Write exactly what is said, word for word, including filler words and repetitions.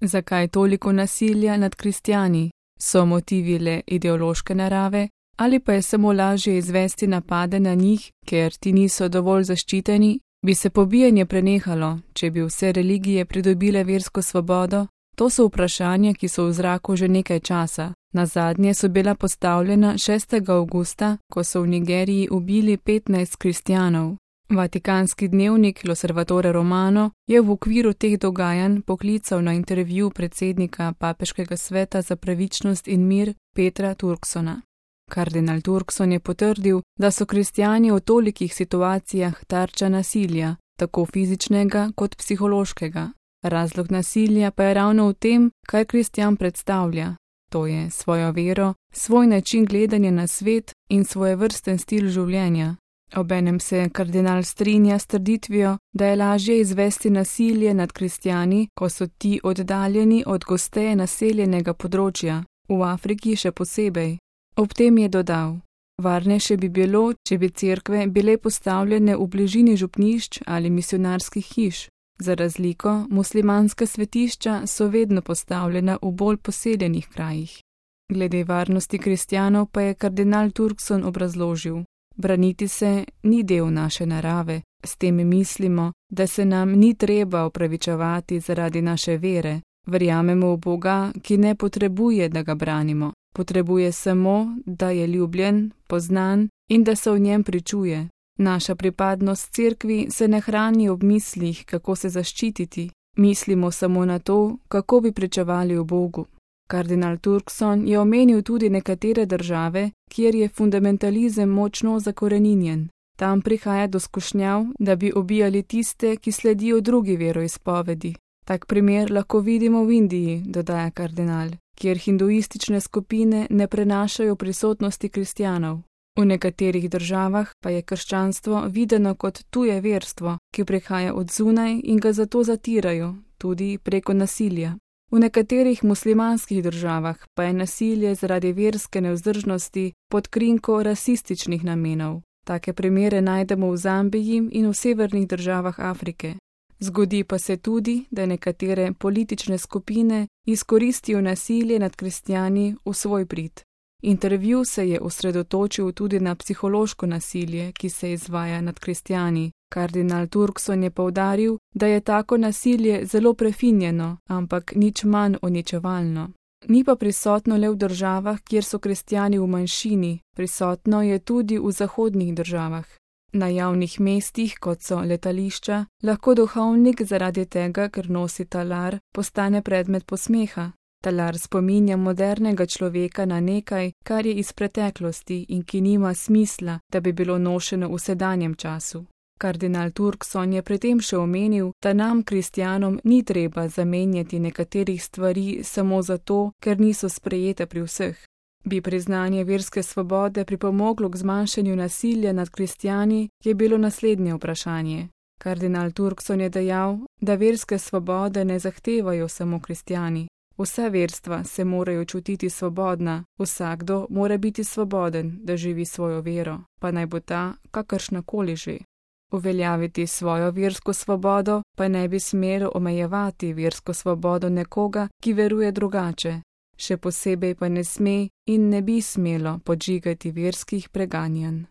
Zakaj toliko nasilja nad kristjani? So motivi le ideološke narave ali pa je samo lažje izvesti napade na njih, ker ti niso dovolj zaščiteni? Bi se pobijanje prenehalo, če bi vse religije pridobile versko svobodo? To so vprašanja, ki so v zraku že nekaj časa. Nazadnje so bila postavljena šestega avgusta, ko so v Nigeriji ubili petnajst kristjanov. Vatikanski dnevnik L'Osservatore Romano je v okviru teh dogajanj poklical na intervju predsednika Papeškega sveta za pravičnost in mir Petra Turksona. Kardinal Turkson je potrdil, da so kristjani v tolikih situacijah tarča nasilja, tako fizičnega kot psihološkega. Razlog nasilja pa je ravno v tem, kaj kristjan predstavlja, to je svojo vero, svoj način gledanja na svet in svojevrsten stil življenja. Obenem se kardinal strinja s trditvijo, da je lažje izvesti nasilje nad kristjani, ko so ti oddaljeni od gosteje naseljenega področja, v Afriki še posebej. Ob tem je dodal: varnejše bi bilo, če bi cerkve bile postavljene v bližini župnišč ali misionarskih hiš. Za razliko, muslimanska svetišča so vedno postavljena v bolj poseljenih krajih. Glede varnosti kristjanov pa je kardinal Turkson obrazložil: braniti se ni del naše narave, s tem mislimo, da se nam ni treba opravičevati zaradi naše vere. Verjamemo v Boga, ki ne potrebuje, da ga branimo. Potrebuje samo, da je ljubljen, poznan in da se v njem pričuje. Naša pripadnost cerkvi se ne hrani ob mislih, kako se zaščititi. Mislimo samo na to, kako bi pričevali v Bogu. Kardinal Turkson je omenil tudi nekatere države, kjer je fundamentalizem močno zakoreninjen. Tam prihaja do skušnjav, da bi ubijali tiste, ki sledijo drugi veroizpovedi. Tak primer lahko vidimo v Indiji, dodaja kardinal, kjer hinduistične skupine ne prenašajo prisotnosti kristjanov. V nekaterih državah pa je krščanstvo videno kot tuje verstvo, ki prihaja od zunaj in ga zato zatirajo, tudi preko nasilja. V nekaterih muslimanskih državah pa je nasilje zaradi verske nevzdržnosti pod krinko rasističnih namenov. Take primere najdemo v Zambiji in v severnih državah Afrike. Zgodi pa se tudi, da nekatere politične skupine izkoristijo nasilje nad kristjani v svoj prid. Intervju se je osredotočil tudi na psihološko nasilje, ki se izvaja nad kristjani. Kardinal Turkson je poudaril, da je tako nasilje zelo prefinjeno, ampak nič manj uničevalno. Ni pa prisotno le v državah, kjer so kristjani v manjšini, prisotno je tudi v zahodnih državah. Na javnih mestih, kot so letališča, lahko duhovnik zaradi tega, ker nosi talar, postane predmet posmeha. Talar spominja modernega človeka na nekaj, kar je iz preteklosti in ki nima smisla, da bi bilo nošeno v sedanjem času. Kardinal Turkson je pri tem še omenil, da nam, kristjanom, ni treba zamenjati nekaterih stvari samo zato, ker niso sprejete pri vseh. Bi priznanje verske svobode pripomoglo k zmanjšanju nasilja nad kristjani, je bilo naslednje vprašanje. Kardinal Turkson je dejal, da verske svobode ne zahtevajo samo kristjani. Vsa verstva se morajo čutiti svobodna, vsakdo mora biti svoboden, da živi svojo vero, pa naj bo ta kakršnakoli že. Uveljaviti svojo versko svobodo pa ne bi smelo omejevati versko svobodo nekoga, ki veruje drugače. Še posebej pa ne sme in ne bi smelo podžigati verskih preganjanj.